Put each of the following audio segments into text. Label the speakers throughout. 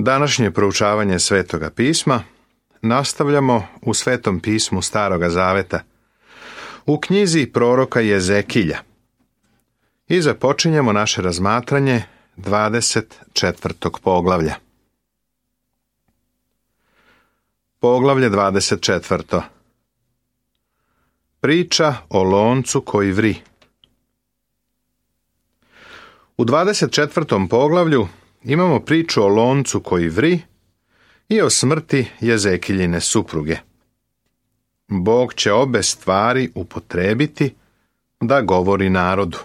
Speaker 1: Današnje proučavanje Svetoga pisma nastavljamo u Svetom pismu Staroga zaveta, u knjizi proroka Jezekilja. I započinjemo naše razmatranje 24. poglavlja. Poglavlje 24. Priča o loncu koji vri. U 24. poglavlju imamo priču o loncu koji vri i o smrti Jezekiljine supruge. Bog će obe stvari upotrijebiti da govori narodu.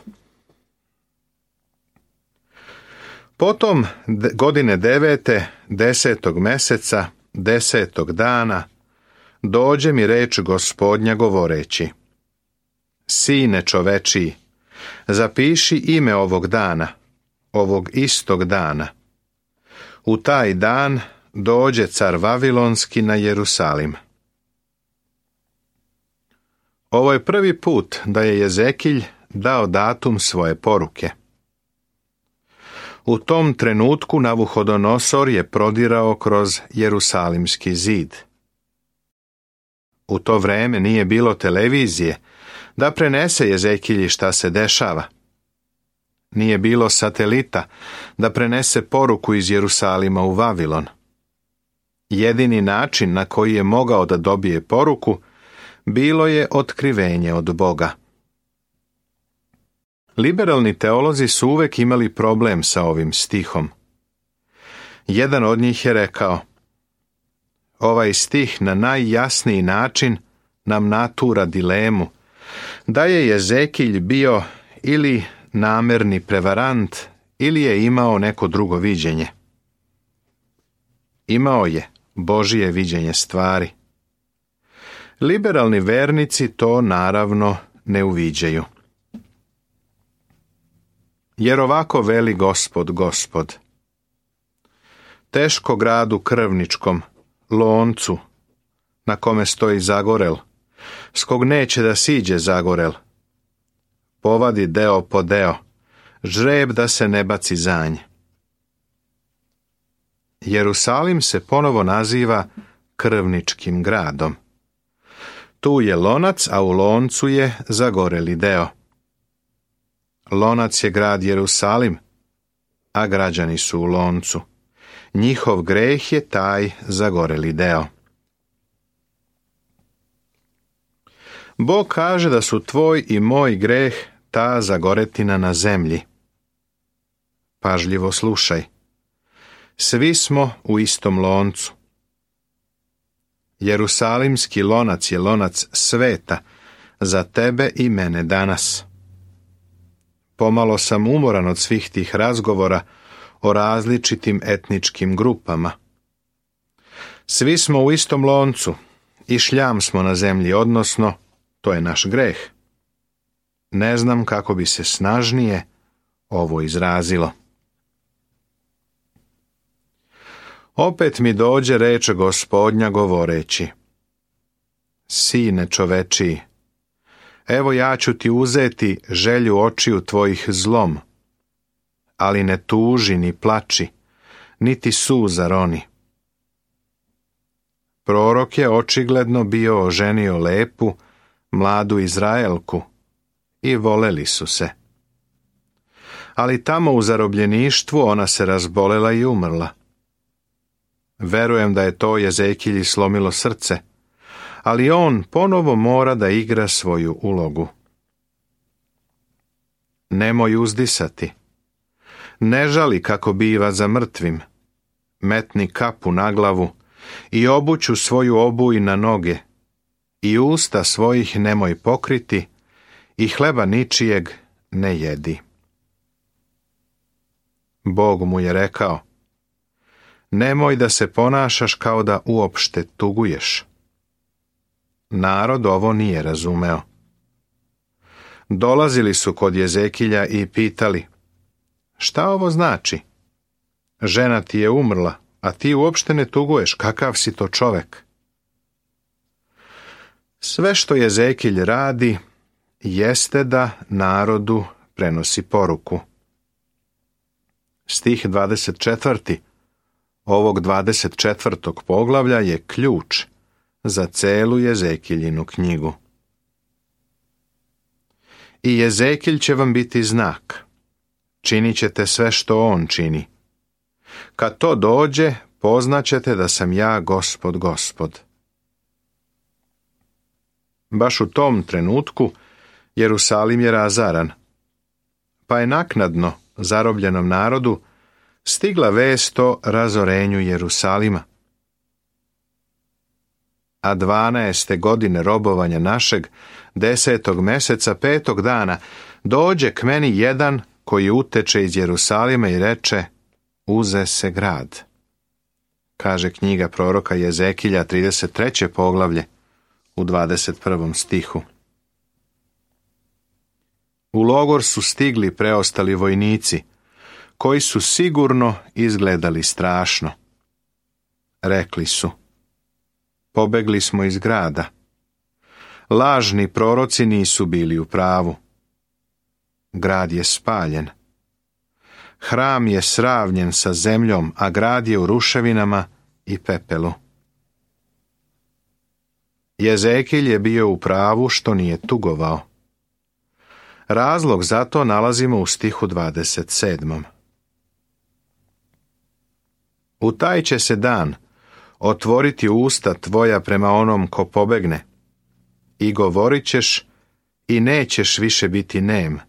Speaker 1: Potom godine 9. 10. meseca 10. dana dođe mi reč Gospodnja govoreći: Sine čovečiji, zapiši ime ovog dana, ovog istog dana. U taj dan dođe car Vavilonski na Jerusalim. Ovo je prvi put da je Jezekilj dao datum svoje poruke. U tom trenutku Navuhodonosor je prodirao kroz Jerusalimski zid. U to vreme nije bilo televizije da prenese Jezekilji šta se dešava. Nije bilo satelita da prenese poruku iz Jerusalima u Vavilon. Jedini način na koji je mogao da dobije poruku bilo je otkrivenje od Boga. Liberalni teolozi su uvek imali problem sa ovim stihom. Jedan od njih je rekao: ovaj stih na najjasniji način nam natura dilemu da je Jezekilj bio ili namerni prevarant ili je imao neko drugo viđenje. Imao je Božije viđenje stvari. Liberalni vernici to naravno ne uviđaju. Jer ovako veli Gospod, teško gradu krvničkom, loncu, na kome stoji zagorel, s kog neće da siđe zagorel, povadi deo po deo, žreb da se ne baci zanj. Jerusalim se ponovo naziva krvničkim gradom. Tu je lonac, a u loncu je zagoreli deo. Lonac je grad Jerusalim, a građani su u loncu. Njihov greh je taj zagoreli deo. Bog kaže da su tvoj i moj greh ta zagoretina na zemlji. Pažljivo slušaj. Svi smo u istom loncu. Jerusalimski lonac je lonac sveta za tebe i mene danas. Pomalo sam umoran od svih tih razgovora o različitim etničkim grupama. Svi smo u istom loncu i šljam smo na zemlji, odnosno to je naš greh. Ne znam kako bi se snažnije ovo izrazilo. Opet mi dođe reč Gospodnja govoreći: Sine čovečiji, evo ja ću ti uzeti želju očiju tvojih zlom, ali ne tuži ni plači, niti suza roni. Prorok je očigledno bio oženio lepu, mladu Izraelku i voleli su se. Ali tamo u zarobljeništvu ona se razbolela i umrla. Verujem da je to Jezekilji slomilo srce, ali on ponovo mora da igra svoju ulogu. Nemoj uzdisati. Ne žali kako biva za mrtvim. Metni kapu na glavu i obuću svoju obuj na noge i usta svojih nemoj pokriti i hleba ničijeg ne jedi. Bog mu je rekao: nemoj da se ponašaš kao da uopšte tuguješ. Narod ovo nije razumeo. Dolazili su kod Jezekilja i pitali: šta ovo znači? Žena ti je umrla, a ti uopšte ne tuguješ, kakav si to čovek? Sve što Jezekilj radi jeste da narodu prenosi poruku. Stih 24. ovog 24. poglavlja je ključ za celu Jezekiljinu knjigu. I Jezekilj će vam biti znak. Činit ćete sve što on čini. Kad to dođe, poznaćete da sam ja Gospod, Gospod. Baš u tom trenutku Jerusalim je razaran, pa je naknadno zarobljenom narodu stigla vest o razorenju Jerusalima. A 12. godine robovanja našeg, 10. meseca 5. dana, dođe k meni jedan koji uteče iz Jerusalima i reče: uze se grad. Kaže knjiga proroka Jezekilja, 33. poglavlje, u 21. stihu. U logor su stigli preostali vojnici, koji su sigurno izgledali strašno. Rekli su: pobegli smo iz grada. Lažni proroci nisu bili u pravu. Grad je spaljen. Hram je sravnjen sa zemljom, a grad je u ruševinama i pepelu. Jezekilj je bio u pravu što nije tugovao. Razlog za to nalazimo u stihu 27. U taj će se dan otvoriti usta tvoja prema onom ko pobegne, i govorit ćeš i nećeš više biti nem,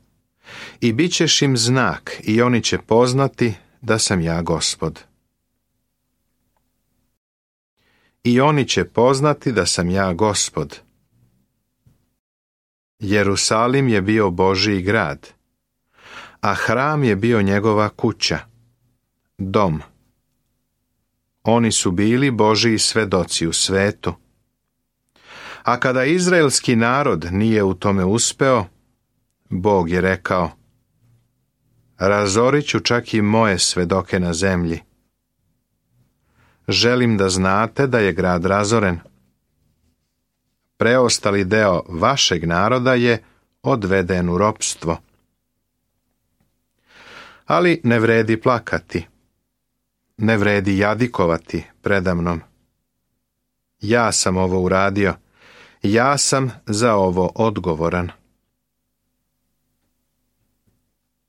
Speaker 1: i bit ćeš im znak i oni će poznati da sam ja Gospod. I oni će poznati da sam ja Gospod. Jerusalim je bio Božji grad, a hram je bio njegova kuća, dom. Oni su bili Božji svedoci u svetu. A kada izraelski narod nije u tome uspeo, Bog je rekao: razorit ću čak i moje svedoke na zemlji. Želim da znate da je grad razoren. Preostali deo vašeg naroda je odveden u ropstvo. Ali ne vredi plakati. Ne vredi jadikovati predamnom. Ja sam ovo uradio. Ja sam za ovo odgovoran.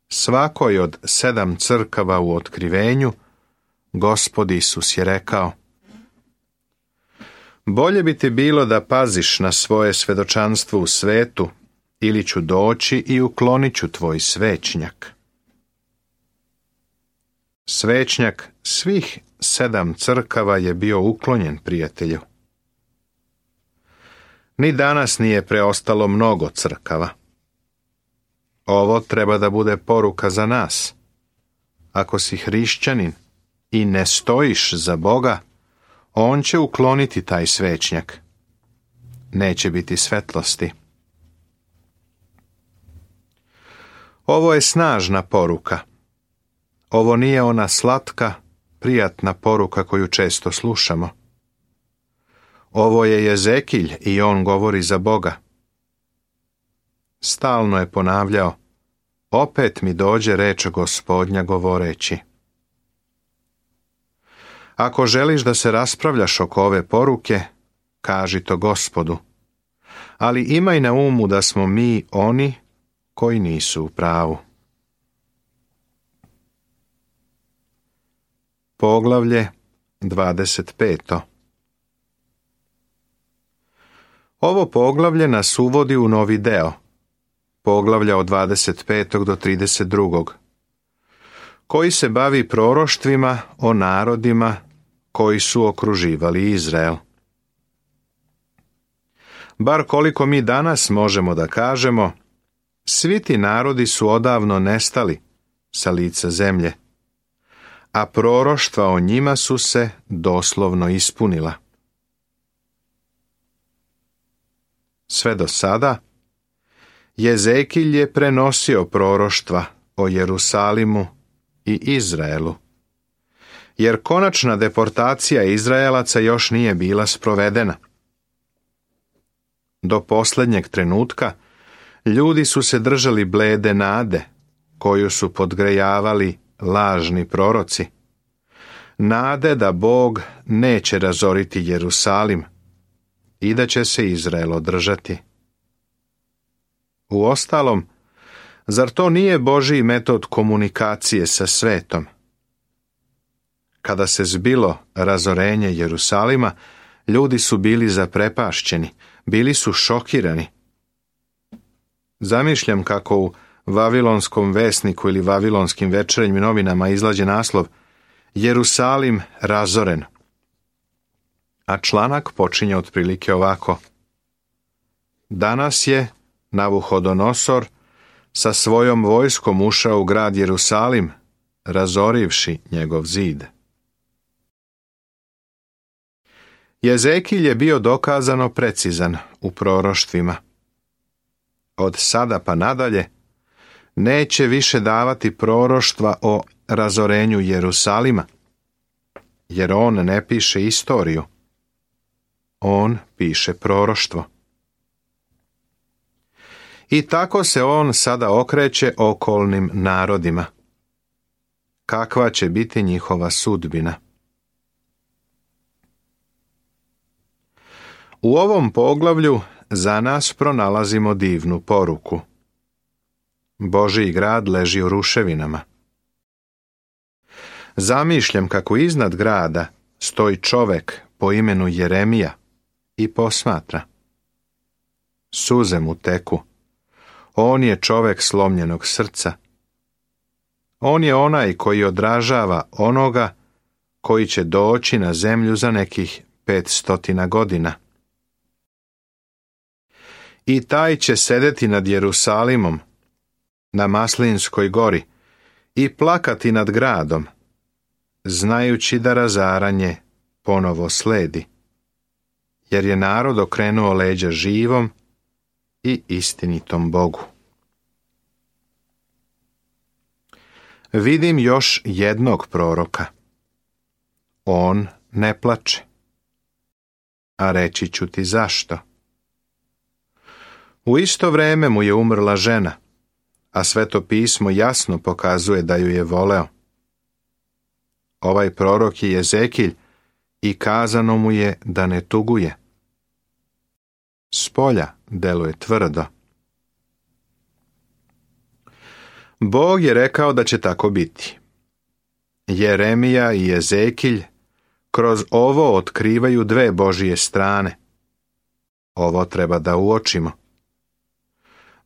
Speaker 1: Svakoj od 7 crkava u otkrivenju Gospod Isus je rekao: bolje bi ti bilo da paziš na svoje svedočanstvo u svetu, ili ću doći i uklonit ću tvoj svećnjak. Svećnjak svih 7 crkava je bio uklonjen, prijatelju. Ni danas nije preostalo mnogo crkava. Ovo treba da bude poruka za nas. Ako si hrišćanin i ne stojiš za Boga, on će ukloniti taj svećnjak. Neće biti svetlosti. Ovo je snažna poruka. Ovo nije ona slatka, prijatna poruka koju često slušamo. Ovo je Jezekilj i on govori za Boga. Stalno je ponavljao: opet mi dođe reč Gospodnja govoreći. Ako želiš da se raspravljaš oko ove poruke, kaži to Gospodu, ali imaj na umu da smo mi oni koji nisu u pravu. Poglavlje 25. Ovo poglavlje nas uvodi u novi deo, poglavlja od 25. do 32. koji se bavi proroštvima o narodima koji su okruživali Izrael. Bar koliko mi danas možemo da kažemo, svi ti narodi su odavno nestali sa lica zemlje, a proroštva o njima su se doslovno ispunila. Sve do sada, Jezekilj je prenosio proroštva o Jerusalimu i Izraelu, jer konačna deportacija Izraelaca još nije bila sprovedena. Do posljednjeg trenutka ljudi su se držali blede nade, koju su podgrejavali lažni proroci, nade da Bog neće razoriti Jerusalim i da će se Izrael održati. Uostalom, zar to nije Božji metod komunikacije sa svetom? Kada se zbilo razorenje Jerusalima, ljudi su bili zaprepašćeni, bili su šokirani. Zamišljam kako u Vavilonskom vesniku ili Vavilonskim večernjim novinama izlađe naslov Jerusalim razoren. A članak počinje otprilike ovako. Danas je Navuhodonosor sa svojom vojskom ušao u grad Jerusalim, razorivši njegov zid. Jezekilj je bio dokazano precizan u proroštvima. Od sada pa nadalje neće više davati proroštva o razorenju Jerusalima, jer on ne piše istoriju. On piše proroštvo. I tako se on sada okreće okolnim narodima. Kakva će biti njihova sudbina? U ovom poglavlju za nas pronalazimo divnu poruku. Božji grad leži u ruševinama. Zamišljam kako iznad grada stoji čovek po imenu Jeremija i posmatra. Suze mu teku. On je čovek slomljenog srca. On je onaj koji odražava onoga koji će doći na zemlju za nekih 500 godina. I taj će sedeti nad Jerusalimom, na Maslinskoj gori, i plakati nad gradom, znajući da razaranje ponovo sledi, jer je narod okrenuo leđa živom i istinitom Bogu. Vidim još jednog proroka. On ne plače. A reći ću ti zašto. U isto vreme mu je umrla žena, a Sveto pismo jasno pokazuje da ju je voleo. Ovaj prorok je Jezekilj i kazano mu je da ne tuguje. Spolja deluje tvrdo. Bog je rekao da će tako biti. Jeremija i Jezekilj kroz ovo otkrivaju dve Božije strane. Ovo treba da uočimo.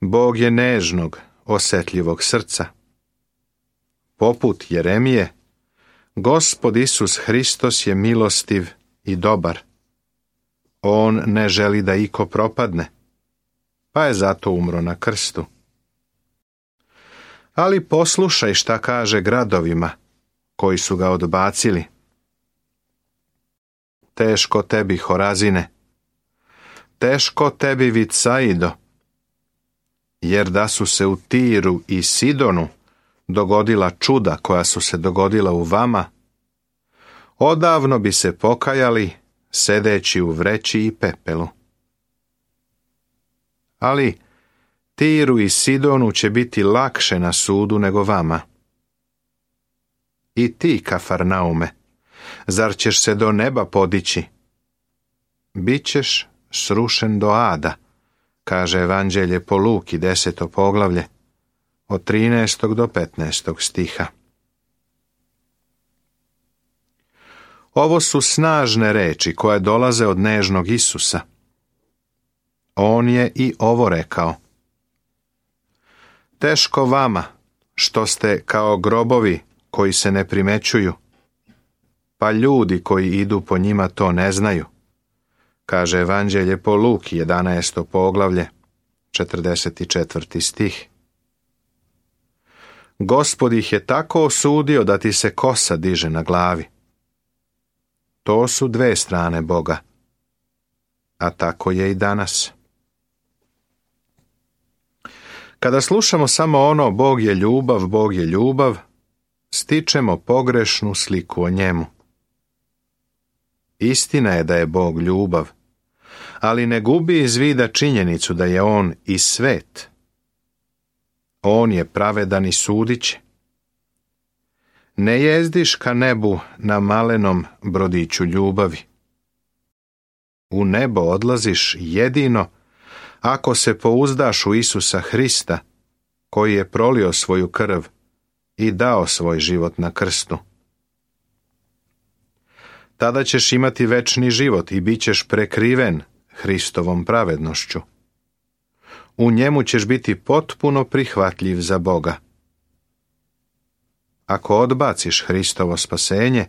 Speaker 1: Bog je nežnog, osjetljivog srca. Poput Jeremije, Gospod Isus Hristos je milostiv i dobar. On ne želi da iko propadne, pa je zato umro na krstu. Ali poslušaj šta kaže gradovima koji su ga odbacili. Teško tebi, Horazine, teško tebi, Vicaido, jer da su se u Tiru i Sidonu dogodila čuda koja su se dogodila u vama, odavno bi se pokajali sedeći u vreći i pepelu. Ali Tiru i Sidonu će biti lakše na sudu nego vama. I ti, Kafarnaume, zar ćeš se do neba podići? Bićeš srušen do ada, kaže Evanđelje po Luki 10. poglavlje, od 13. do 15. stiha. Ovo su snažne reči koje dolaze od nežnog Isusa. On je i ovo rekao. Teško vama, što ste kao grobovi koji se ne primećuju, pa ljudi koji idu po njima to ne znaju, kaže Evanđelje po Luki 11. poglavlje, 44. stih. Gospod ih je tako osudio da ti se kosa diže na glavi. To su dve strane Boga, a tako je i danas. Kada slušamo samo ono Bog je ljubav, stičemo pogrešnu sliku o njemu. Istina je da je Bog ljubav, ali ne gubi iz vida činjenicu da je on i svet. On je pravedan i sudiće. ne jezdiš ka nebu na malenom brodiću ljubavi. U nebo odlaziš jedino ako se pouzdaš u Isusa Hrista, koji je prolio svoju krv i dao svoj život na krstu. Tada ćeš imati večni život i bit ćeš prekriven Hristovom pravednošću. U njemu ćeš biti potpuno prihvatljiv za Boga. Ako odbaciš Hristovo spasenje,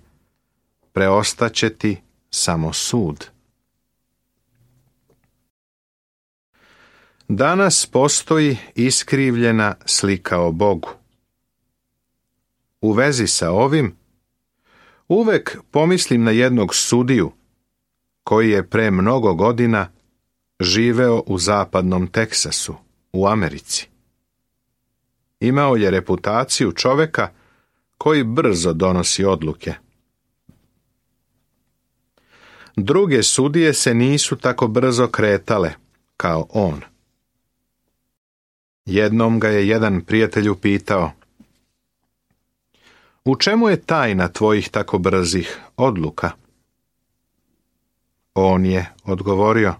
Speaker 1: preostaće ti samo sud. Danas postoji iskrivljena slika o Bogu. U vezi sa ovim, uvek pomislim na jednog sudiju koji je pre mnogo godina živeo u zapadnom Teksasu, u Americi. Imao je reputaciju čoveka koji brzo donosi odluke. Druge sudije se nisu tako brzo kretale kao on. Jednom ga je jedan prijatelj upitao: u čemu je tajna tvojih tako brzih odluka? On je odgovorio: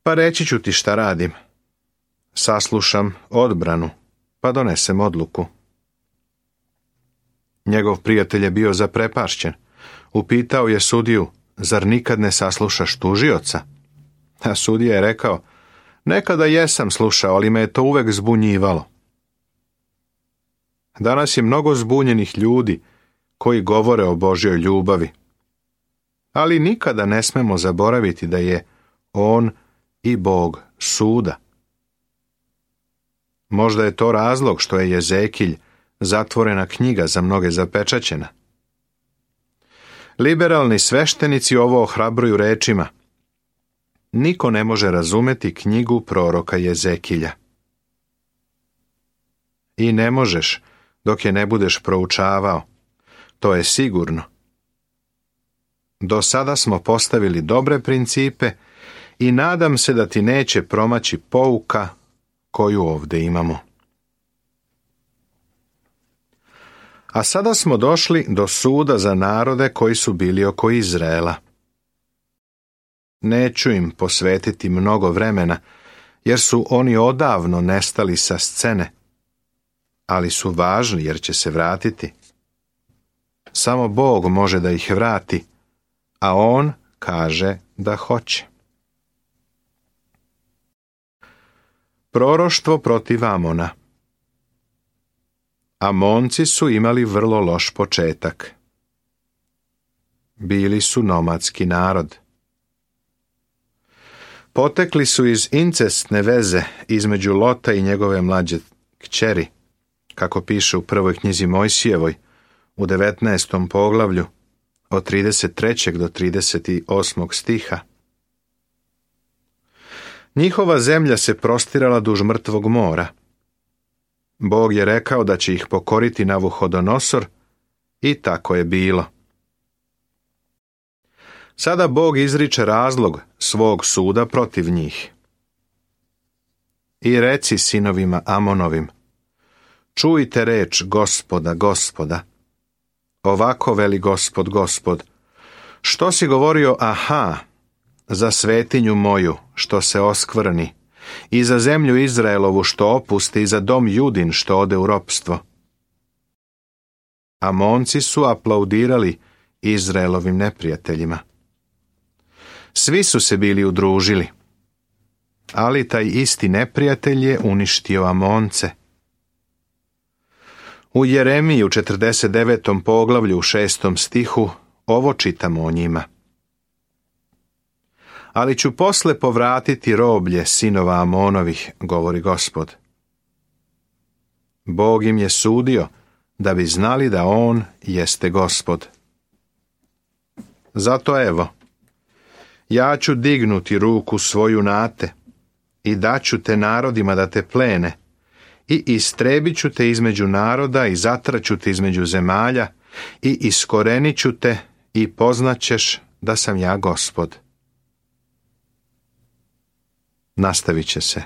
Speaker 1: pa reći ću ti šta radim. Saslušam odbranu, pa donesem odluku. Njegov prijatelj je bio zaprepašćen. Upitao je sudiju: zar nikad ne saslušaš tužioca? A sudija je rekao: nekada jesam slušao, ali me je to uvek zbunjivalo. Danas je mnogo zbunjenih ljudi koji govore o Božjoj ljubavi. Ali nikada ne smemo zaboraviti da je On i Bog suda. Možda je to razlog što je Jezekilj zatvorena knjiga za mnoge zapečaćena. Liberalni sveštenici ovo ohrabruju rečima: niko ne može razumeti knjigu proroka Jezekilja. I ne možeš dok je ne budeš proučavao, to je sigurno. Do sada smo postavili dobre principe i nadam se da ti neće promaći pouka koju ovdje imamo. A sada smo došli do suda za narode koji su bili oko Izraela. Neću im posvetiti mnogo vremena, jer su oni odavno nestali sa scene, ali su važni jer će se vratiti. Samo Bog može da ih vrati, a On kaže da hoće. Proroštvo protiv Amona. Amonci su imali vrlo loš početak. Bili su nomadski narod. Potekli su iz incestne veze između Lota i njegove mlađe kćeri, kako piše u prvoj knjizi Mojsijevoj, u 19. poglavlju, od 33. do 38. stiha. Njihova zemlja se prostirala duž mrtvog mora. Bog je rekao da će ih pokoriti Navuhodonosor i tako je bilo. Sada Bog izriče razlog svog suda protiv njih. I reci sinovima Amonovim: čujte reč Gospoda, Gospoda. Ovako veli Gospod, Gospod: što si govorio, aha, za svetinju moju, što se oskvrni, i za zemlju Izraelovu, što opusti, i za dom Judin, što ode u ropstvo. Amonci su aplaudirali Izraelovim neprijateljima. Svi su se bili udružili, ali taj isti neprijatelj je uništio Amonce. U Jeremiji u 49. poglavlju u 6. stihu ovo čitamo o njima. Ali ću posle povratiti roblje sinova Amonovih, govori Gospod. Bog im je sudio da bi znali da On jeste Gospod. Zato evo, ja ću dignuti ruku svoju na te i daću te narodima da te plene i istrebit ću te između naroda i zatraću te između zemalja i iskorenit ću te i poznaćeš da sam ja Gospod. Nastavit će se.